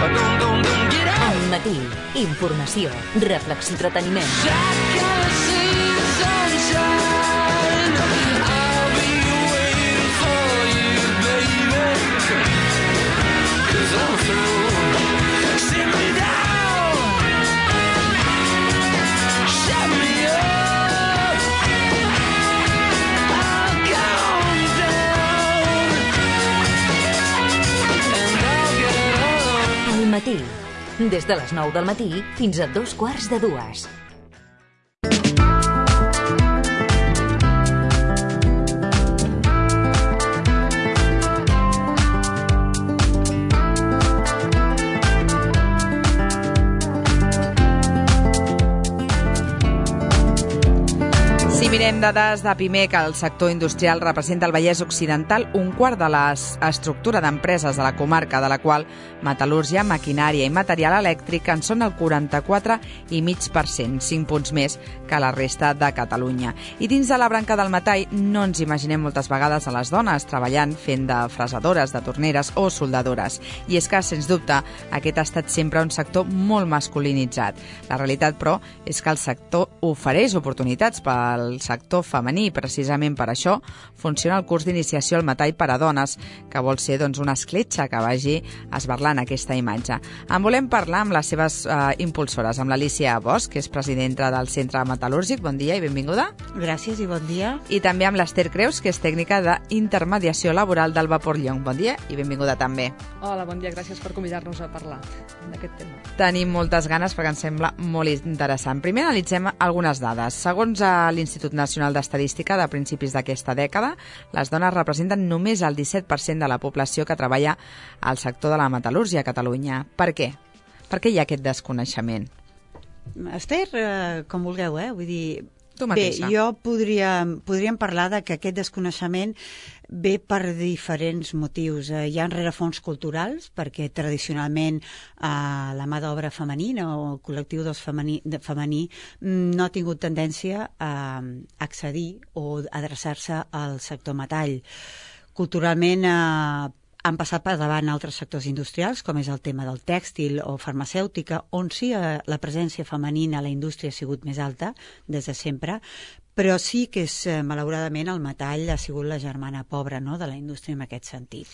Al matí, informació, reflexió, entreteniment. Al matí, des de les 9 del matí fins a 2:15. Si mirem dades de PIMEC, el sector industrial representa al Vallès Occidental un quart de l'estructura d'empreses de la comarca, de la qual metal·lúrgia, maquinària i material elèctric en són el 44,5%, 5 punts més que la resta de Catalunya. I dins de la branca del metall no ens imaginem moltes vegades a les dones treballant fent de fresadores, de torneres o soldadores. I és que, sens dubte, aquest ha estat sempre un sector molt masculinitzat. La realitat, però, és que el sector ofereix oportunitats pel sector femení. Precisament per això funciona el curs d'iniciació al metall per a dones, que vol ser una escletxa que vagi esberlant aquesta imatge. En volem parlar amb les seves impulsores, amb l'Alícia Bosch, que és presidenta del Centre Metal·lúrgic. Bon dia i benvinguda. Gràcies i bon dia. I també amb l'Ester Creus, que és tècnica d'intermediació laboral del Vapor Llonc. Bon dia i benvinguda també. Hola, bon dia, gràcies per convidar-nos a parlar d'aquest tema. Tenim moltes ganes perquè ens sembla molt interessant. Primer analitzem algunes dades. Segons l'Institut Nacional d'Estadística, de principis d'aquesta dècada, les dones representen només el 17% de la població que treballa al sector de la metal·lúrgia a Catalunya. Per què? Per què hi ha aquest desconeixement? Esther, com vulgueu, Vull dir... Tu mateixa. Bé, podríem parlar de que aquest desconeixement ve per diferents motius. Hi ha rerefons culturals, perquè tradicionalment la mà d'obra femenina o el col·lectiu femení no ha tingut tendència a accedir o adreçar-se al sector metall. Culturalment han passat per davant altres sectors industrials, com és el tema del tèxtil o farmacèutica, on sí la presència femenina a la indústria ha sigut més alta des de sempre, però sí que malauradament el metall ha sigut la germana pobra, no?, de la indústria en aquest sentit.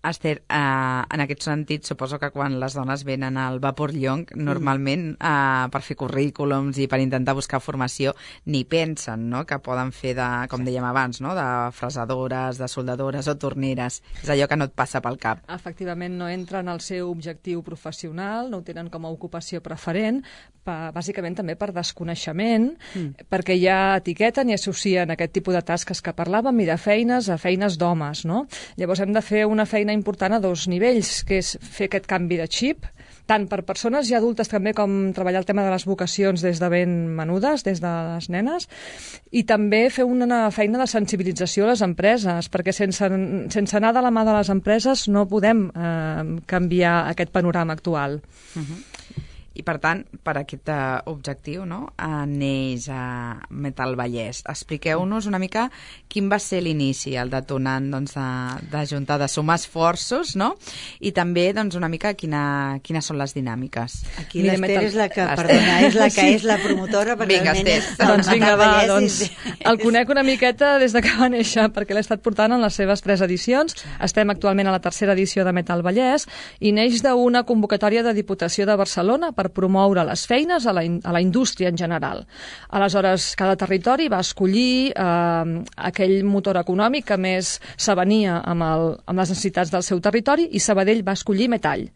Esther, en aquest sentit, suposo que quan les dones venen al Vapor Llonc, normalment per fer currículums i per intentar buscar formació, ni pensen, no?, que poden fer, com dèiem abans, no?, de fresadores, de soldadores o torneres. És allò que no et passa pel cap. Efectivament, no entra en el seu objectiu professional, no ho tenen com a ocupació preferent, bàsicament també per desconeixement, perquè ja etiqueten i associen aquest tipus de tasques que parlàvem i de feines a feines d'homes, no? Llavors hem de fer una feina important a dos nivells, que és fer aquest canvi de xip, tant per persones ja adultes també com treballar el tema de les vocacions des de ben menudes, des de les nenes, i també fer una feina de sensibilització a les empreses, perquè sense anar de la mà de les empreses no podem canviar aquest panorama actual. I, per tant, per aquest objectiu, no?, neix a Metal Vallès. Expliqueu-nos una mica quin va ser l'inici, el detonant d'ajuntar, de sumar esforços, no?, i també una mica quines són les dinàmiques. Aquí l'Ester és la que, perdona, és la que és la promotora, perquè realment és... Doncs vinga, va, el conec una miqueta des de que va néixer, perquè l'he estat portant en les seves 3 edicions. Estem actualment a la 3a edició de Metal Vallès i neix d'una convocatòria de Diputació de Barcelona per promoure les feines a la indústria en general. Aleshores, cada territori va escollir aquell motor econòmic que més s'avenia amb les necessitats del seu territori, i Sabadell va escollir metall.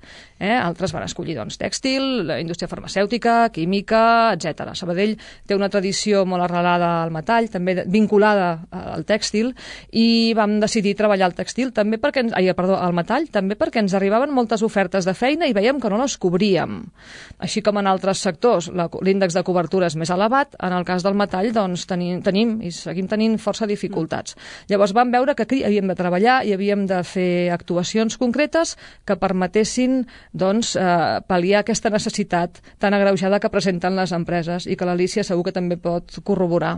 Altres van escollir tèxtil, la indústria farmacèutica, química, etc. Sabadell té una tradició molt arrelada al metall, també vinculada al tèxtil, i vam decidir treballar el tèxtil també al metall, també perquè ens arribaven moltes ofertes de feina i veiem que no les cobríem. Així com en altres sectors l'índex de cobertura és més elevat, en el cas del metall tenim i seguim tenint força dificultats. Llavors vam veure que aquí havíem de treballar i havíem de fer actuacions concretes que permetessin pal·liar aquesta necessitat tan agreujada que presenten les empreses, i que l'Alícia segur que també pot corroborar.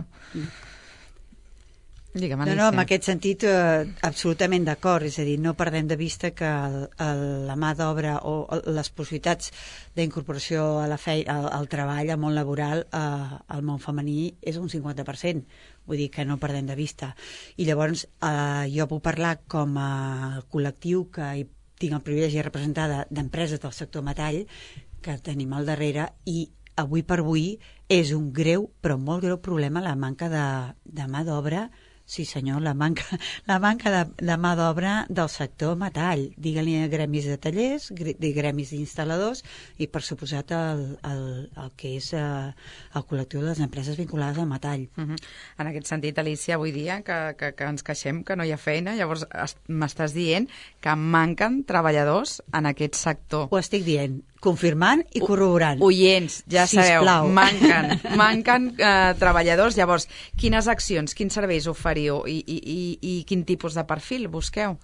Digue'm, No, Alicia. en aquest sentit, absolutament d'acord. És a dir, no perdem de vista que la mà d'obra o les possibilitats d'incorporació a la feina, al treball, al món laboral, al món femení, és un 50%. Vull dir que no perdem de vista. I llavors, jo puc parlar com a col·lectiu que tinc el privilegi de representar d'empreses del sector metall, que tenim al darrere, i avui per avui és un greu, però molt greu problema la manca de mà d'obra. Sí, senyor, la manca de mà d'obra del sector metall. Digue-li a gremis de tallers, gremis d'instal·ladors i, per suposat, el que és el col·lectiu de les empreses vinculades al metall. En aquest sentit, Alicia, avui dia que ens queixem que no hi ha feina, llavors m'estàs dient que manquen treballadors en aquest sector. Ho estic dient, confirmant i corroborant. Oients, ja sabeu, Sisplau. manquen treballadors. Llavors, quines accions, quins serveis oferiu i quin tipus de perfil busqueu?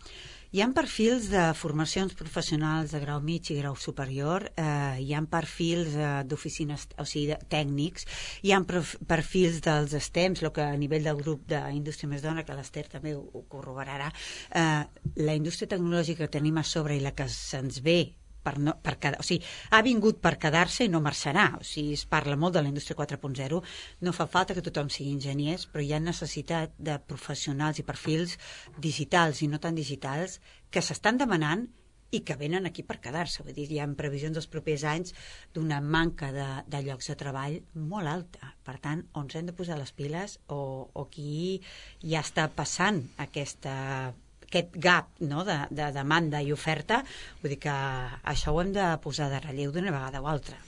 Hi ha perfils de formacions professionals de grau mig i grau superior, hi ha perfils d'oficines, o sigui, tècnics, hi ha perfils dels STEMs, el que a nivell del grup d'Indústria Més Dona, que l'Ester també ho corroborarà, la indústria tecnològica que tenim a sobre i la que se'ns ve o sigui, ha vingut per quedar-se i no marxarà. O sigui, es parla molt de la indústria 4.0, no fa falta que tothom sigui enginyers, però hi ha necessitat de professionals i perfils digitals i no tan digitals que s'estan demanant i que venen aquí per quedar-se. Vull dir, hi ha previsions dels propers anys d'una manca de llocs de treball molt alta. Per tant, on ens hem de posar les piles o qui ja està passant aquest gap, no?, de demanda i oferta, vull dir que això ho hem de posar de relleu d'una vegada o altra.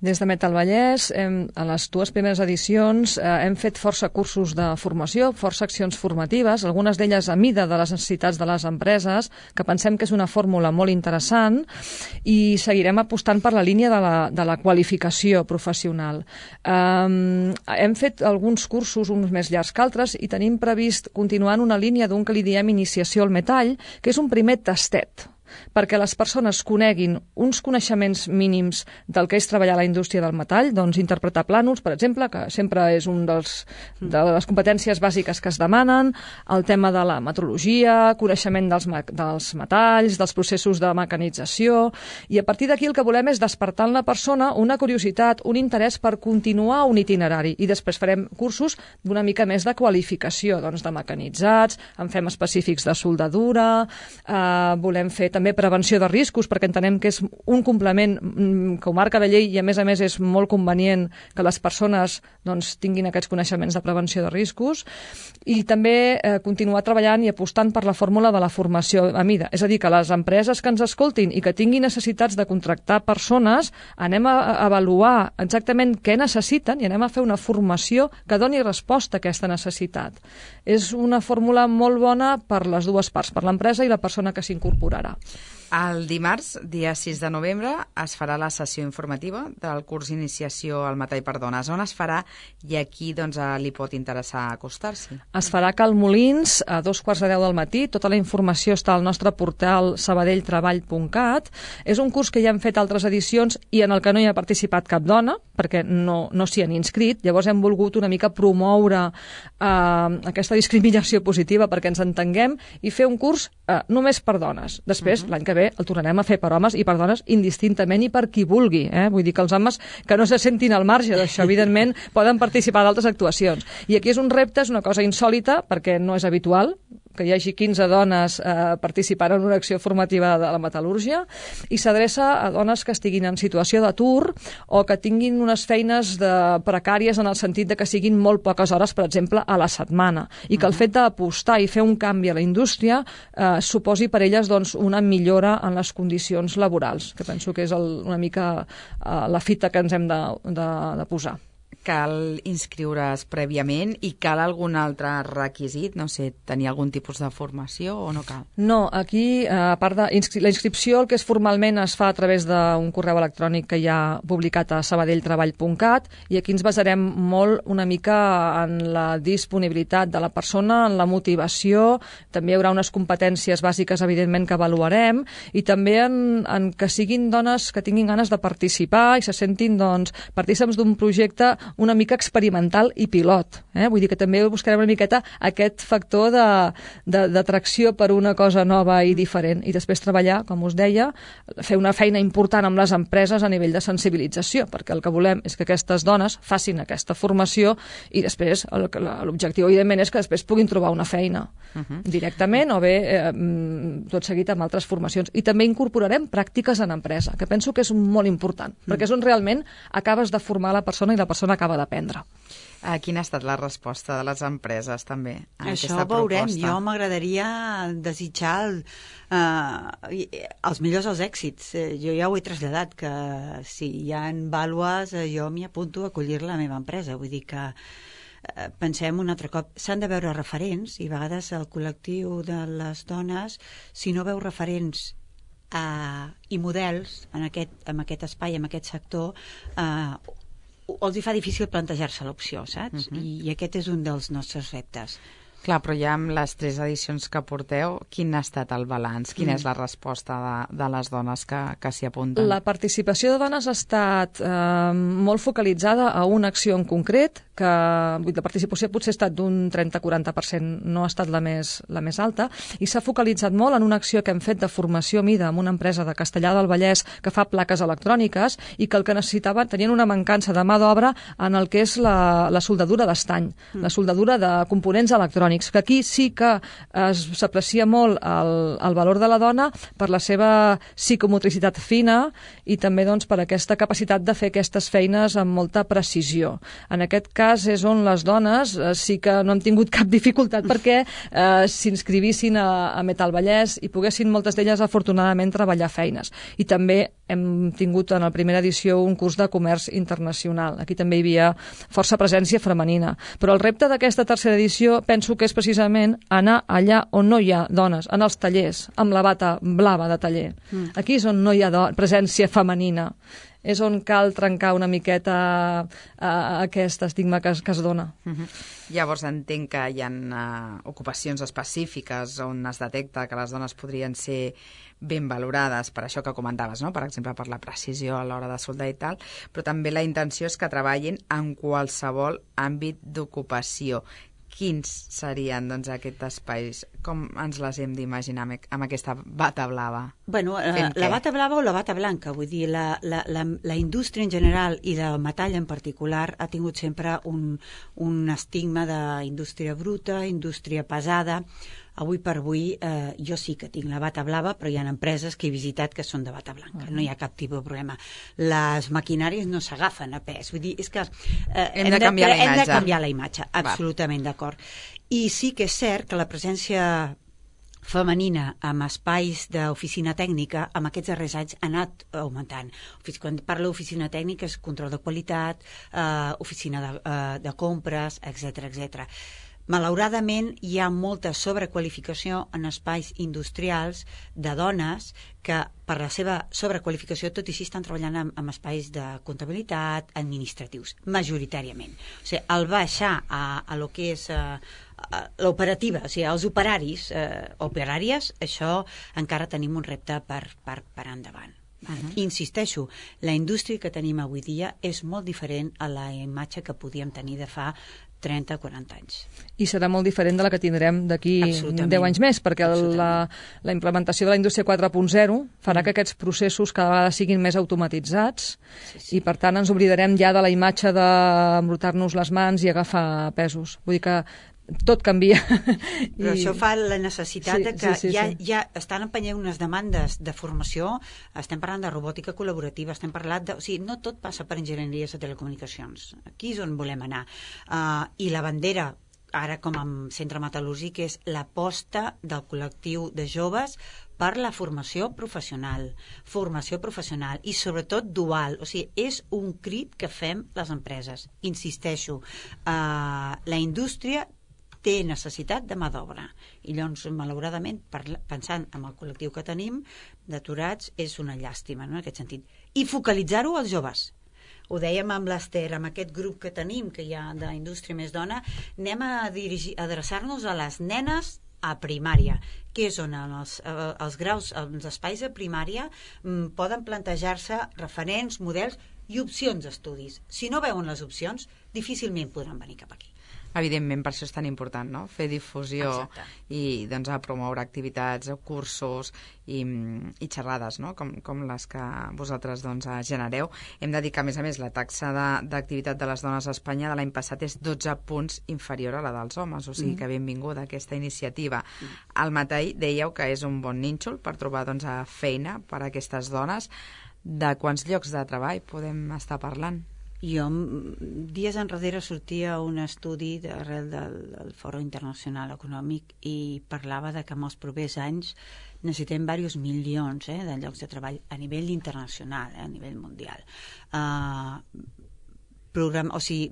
Des de Metal Vallès, a les dues primeres edicions, hem fet força cursos de formació, força accions formatives, algunes d'elles a mida de les necessitats de les empreses, que pensem que és una fórmula molt interessant, i seguirem apostant per la línia de la qualificació professional. Hem fet alguns cursos, uns més llargs que altres, i tenim previst continuar en una línia d'un que li diem iniciació al metall, que és un primer tastet, perquè les persones coneguin uns coneixements mínims del que és treballar a la indústria del metall, doncs interpretar plànols, per exemple, que sempre és un de les competències bàsiques que es demanen, el tema de la metrologia, coneixement dels metalls, dels processos de mecanització, i a partir d'aquí el que volem és despertar en la persona una curiositat, un interès per continuar un itinerari, i després farem cursos d'una mica més de qualificació, doncs de mecanitzats, en fem específics de soldadura, volem fer també prevenció de riscos, perquè entenem que és un complement que ho marca la llei i a més és molt convenient que les persones doncs, tinguin aquests coneixements de prevenció de riscos, i també continuar treballant i apostant per la fórmula de la formació a mida. És a dir, que les empreses que ens escoltin i que tinguin necessitats de contractar persones, anem a avaluar exactament què necessiten i anem a fer una formació que doni resposta a aquesta necessitat. És una fórmula molt bona per les dues parts, per l'empresa i la persona que s'incorporarà. El dimarts, dia 6 de novembre, es farà la sessió informativa del curs d'iniciació al metall per dones. On es farà i a qui li pot interessar acostar-s'hi? Es farà a Cal Molins a 2:15 del matí. Tota la informació està al nostre portal sabadelltreball.cat. És un curs que ja hem fet altres edicions i en el que no hi ha participat cap dona, perquè no s'hi han inscrit. Llavors hem volgut una mica promoure aquesta discriminació positiva perquè ens entenguem i fer un curs només per dones. Després, l'any que ve, el tornarem a fer per homes i per dones indistintament i per qui vulgui. Vull dir que els homes que no se sentin al marge d'això, evidentment, poden participar d'altres actuacions. I aquí és un repte, és una cosa insòlita, perquè no és habitual que hi hagi 15 dones participant en una acció formativa de la metal·lúrgia, i s'adreça a dones que estiguin en situació d'atur o que tinguin unes feines precàries en el sentit de que siguin molt poques hores, per exemple, a la setmana, i que el fet d'apostar i fer un canvi a la indústria suposi per elles doncs, una millora en les condicions laborals, que penso que és una mica la fita que ens hem de posar. Cal inscriure's prèviament i cal algun altre requisit? No sé, tenir algun tipus de formació o no cal? No, aquí, a part de la inscripció, el que és formalment es fa a través d'un correu electrònic que hi ha publicat a sabadelltreball.cat, i aquí ens basarem molt una mica en la disponibilitat de la persona, en la motivació, també hi haurà unes competències bàsiques, evidentment, que avaluarem, i també en que siguin dones que tinguin ganes de participar i se sentin partícips d'un projecte una mica experimental i pilot. Vull dir que també buscarem una miqueta aquest factor d'atracció per una cosa nova i diferent. I després treballar, com us deia, fer una feina important amb les empreses a nivell de sensibilització, perquè el que volem és que aquestes dones facin aquesta formació i després l'objectiu, evidentment, és que després puguin trobar una feina directament o bé tot seguit amb altres formacions. I també incorporarem pràctiques en empresa, que penso que és molt important, perquè és on realment acabes de formar la persona i la persona acaba d'aprendre. Quina ha estat la resposta de les empreses, també, a això aquesta veurem. proposta? Jo m'agradaria desitjar els millors els èxits. Jo ja ho he traslladat, que si hi ha vàlues, jo m'hi apunto a acollir-la a la meva empresa. Vull dir que pensem un altre cop, s'han de veure referents, i a vegades el col·lectiu de les dones, si no veu referents i models en aquest espai, en aquest sector, els hi fa difícil plantejar-se l'opció, saps? I aquest és un dels nostres reptes. Clar, però ja amb les 3 edicions que porteu, quin ha estat el balanç? Quina és la resposta de les dones que s'hi apunten? La participació de dones ha estat molt focalitzada a una acció en concret, que la participació potser ha estat d'un 30-40%, no ha estat la més alta, i s'ha focalitzat molt en una acció que hem fet de formació a mida amb una empresa de Castellar del Vallès que fa plaques electròniques i que el que necessitaven, tenien una mancança de mà d'obra en el que és la soldadura d'estany, la soldadura de components electrònics, que aquí sí que s'aprecia molt el valor de la dona per la seva psicomotricitat fina i també doncs, per aquesta capacitat de fer aquestes feines amb molta precisió. En aquest cas és on les dones sí que no han tingut cap dificultat perquè s'inscrivissin a Metal Vallès i poguessin moltes d'elles afortunadament treballar feines. I també hem tingut en la primera edició un curs de comerç internacional. Aquí també hi havia força presència femenina. Però el repte d'aquesta tercera edició penso que és precisament anar allà on no hi ha dones, en els tallers, amb la bata blava de taller. Aquí és on no hi ha presència femenina. És on cal trencar una miqueta aquest estigma que es dona. Llavors entenc que hi ha ocupacions específiques on es detecta que les dones podrien ser ben valorades per això que comentaves, no? Per exemple, per la precisió a l'hora de soldar i tal, però també la intenció és que treballin en qualsevol àmbit d'ocupació. Quins serien doncs, aquests espais? Com ens les hem d'imaginar amb aquesta bata blava? Bueno, la bata blava o la bata blanca, vull dir, la indústria en general i del metall en particular ha tingut sempre un estigma d'indústria bruta, indústria pesada. Avui per avui jo sí que tinc la bata blava, però hi ha empreses que he visitat que són de bata blanca, no hi ha cap tipus de problema. Les maquinàries no s'agafen a pes, vull dir, és que hem de canviar la imatge, absolutament d'acord. I sí que és cert que la presència femenina amb espais d'oficina tècnica amb aquests darrers anys ha anat augmentant. Quan parlo d'oficina tècnica és control de qualitat, oficina de compres, etc. Malauradament, hi ha molta sobrequalificació en espais industrials de dones que per la seva sobrequalificació tot i així estan treballant en espais de comptabilitat, administratius, majoritàriament. O sigui, al baixar a lo que és l'operativa, o sigui, els operaris, operàries, això encara tenim un repte per endavant. Insisteixo, la indústria que tenim avui dia és molt diferent a la imatge que podíem tenir de fa 30-40 anys. I serà molt diferent de la que tindrem d'aquí 10 anys més, perquè la implementació de la indústria 4.0 farà que aquests processos cada vegada siguin més automatitzats i per tant ens oblidarem ja de la imatge d'embrutar-nos les mans i agafar pesos. Vull dir que tot canvia. Però això fa la necessitat de que ja estan empenyent unes demandes de formació, estem parlant de robòtica col·laborativa, estem parlant de... O sigui, no tot passa per enginyeries de telecomunicacions. Aquí és on volem anar. I la bandera, ara com a centre metal·lúrgic, és l'aposta del col·lectiu de joves per la formació professional i sobretot dual, o sigui, és un crit que fem les empreses. Insisteixo, la indústria té necessitat de mà d'obra i llavors, malauradament, pensant en el col·lectiu que tenim d'aturats, és una llàstima, no?, en aquest sentit. I focalitzar-ho als joves. Ho dèiem amb l'Ester, amb aquest grup que tenim, que hi ha d'indústria més dona, anem a adreçar-nos a les nenes a primària, que és on els graus, els espais de primària poden plantejar-se referents, models i opcions d'estudis. Si no veuen les opcions, difícilment podran venir cap aquí. Evidentment, per això és tan important, no? Fer difusió. Exacte. I doncs, a promoure activitats, cursos i xerrades, no? com les que vosaltres doncs, genereu. Hem de dir que, a més, la taxa d'activitat de les dones a Espanya de l'any passat és 12 punts inferior a la dels homes, o sigui que benvinguda aquesta iniciativa. Al Matai dèieu que és un bon nínxol per trobar doncs, feina per a aquestes dones. De quants llocs de treball podem estar parlant? Jo, dies enrere, sortia un estudi arrel del Fòrum Internacional Econòmic i parlava de que en els propers anys necessitem diversos milions de llocs de treball a nivell internacional, a nivell mundial.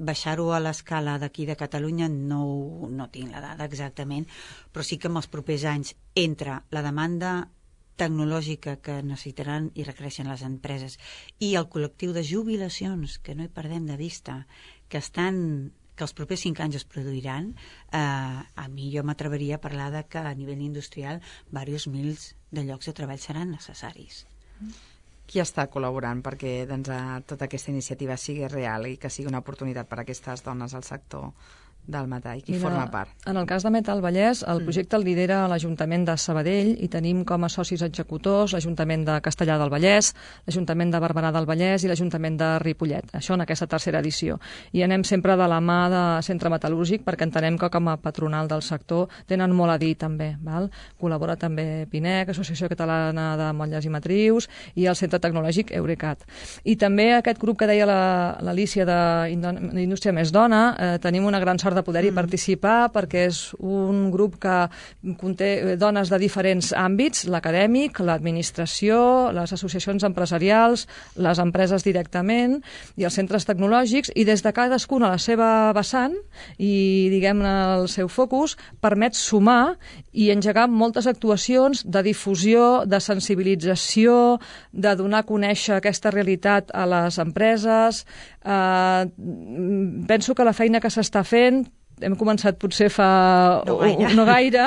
Baixar-ho a l'escala d'aquí de Catalunya no tinc la dada exactament, però sí que en els propers anys entre la demanda tecnològica que necessitaran i requereixen les empreses i el col·lectiu de jubilacions, que no hi perdem de vista, que els propers 5 anys es produiran, a mi jo m'atreveria a parlar de que a nivell industrial diversos mils de llocs de treball seran necessaris. Qui està col·laborant perquè doncs, tota aquesta iniciativa sigui real i que sigui una oportunitat per a aquestes dones al sector del Matai? Qui forma part? En el cas de Metal Vallès, el projecte el lidera l'Ajuntament de Sabadell i tenim com a socis executors l'Ajuntament de Castellar del Vallès, l'Ajuntament de Barberà del Vallès i l'Ajuntament de Ripollet. Això en aquesta tercera edició. I anem sempre de la mà de Centre Metal·lúrgic perquè entenem que com a patronal del sector tenen molt a dir també. Val? Col·labora també PINEC, Associació Catalana de Motlles i Matrius, i el Centre Tecnològic Eurecat. I també aquest grup que deia l'Alícia d'Indústria Més Dona, tenim una gran sort de poder-hi participar perquè és un grup que conté dones de diferents àmbits, l'acadèmic, l'administració, les associacions empresarials, les empreses directament i els centres tecnològics, i des de cadascuna a la seva vessant i, diguem-ne, el seu focus, permet sumar i engegar moltes actuacions de difusió, de sensibilització, de donar a conèixer aquesta realitat a les empreses. Penso que la feina que s'està fent, hem començat potser fa no gaire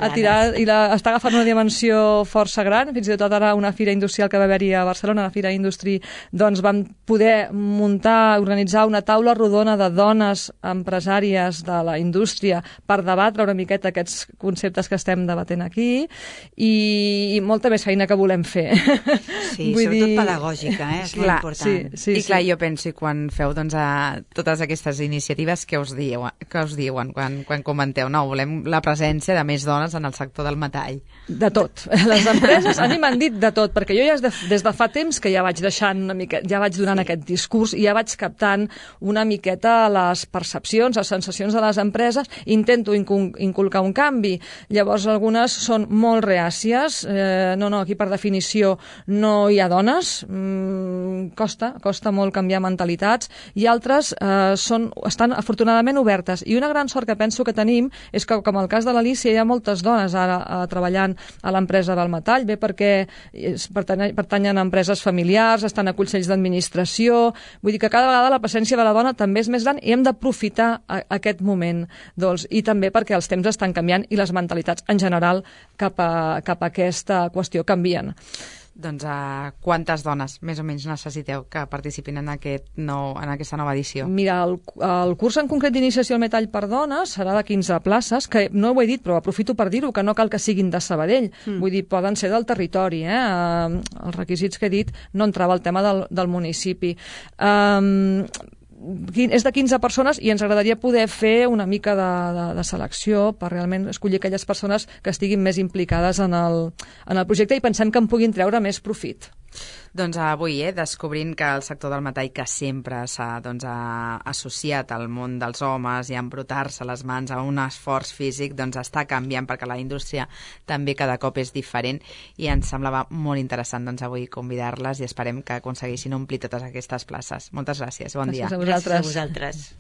a tirar, i està agafant una dimensió força gran. Fins i tot ara una fira industrial que va haver-hi a Barcelona, la Fira Industri, doncs vam poder organitzar una taula rodona de dones empresàries de la indústria per debatre una miqueta aquests conceptes que estem debatent aquí, i molta més feina que volem fer. Sí, sobretot pedagògica, és molt important. I clar, jo penso, i quan feu doncs, totes aquestes iniciatives, què us diuen quan comenteu, no, volem la presència de més dones en el sector del metall? De tot. Les empreses a mi m'han dit de tot, perquè jo ja des de fa temps que ja vaig deixant una miqueta, ja vaig donant aquest discurs i ja vaig captant una miqueta les percepcions, les sensacions de les empreses, intento inculcar un canvi. Llavors algunes són molt reàcies, no, aquí per definició no hi ha dones, costa molt canviar mentalitats, i altres estan afortunadament obertes. I una gran sort que penso que tenim és que, com el cas de l'Alícia, hi ha moltes dones ara treballant a l'empresa del metall, bé perquè pertanyen a empreses familiars, estan a consells d'administració, vull dir que cada vegada la presència de la dona també és més gran i hem d'aprofitar aquest moment, doncs, i també perquè els temps estan canviant i les mentalitats en general cap a aquesta qüestió canvien. Doncs quantes dones més o menys necessiteu que participin en aquesta nova edició? Mira, el curs en concret d'iniciació al metall per dones serà de 15 places, que no ho he dit, però aprofito per dir-ho, que no cal que siguin de Sabadell. Vull dir, poden ser del territori. Els requisits que he dit no entrava al tema del municipi. És de 15 persones i ens agradaria poder fer una mica de selecció per realment escollir aquelles persones que estiguin més implicades en el projecte i pensem que en puguin treure més profit. Doncs avui, descobrint que el sector del metall, que sempre s'ha associat al món dels homes i a embrutar-se les mans a un esforç físic, doncs està canviant perquè la indústria també cada cop és diferent, i ens semblava molt interessant avui convidar-les i esperem que aconseguissin omplir totes aquestes places. Moltes gràcies, bon dia. Gràcies a vosaltres. Gràcies a vosaltres.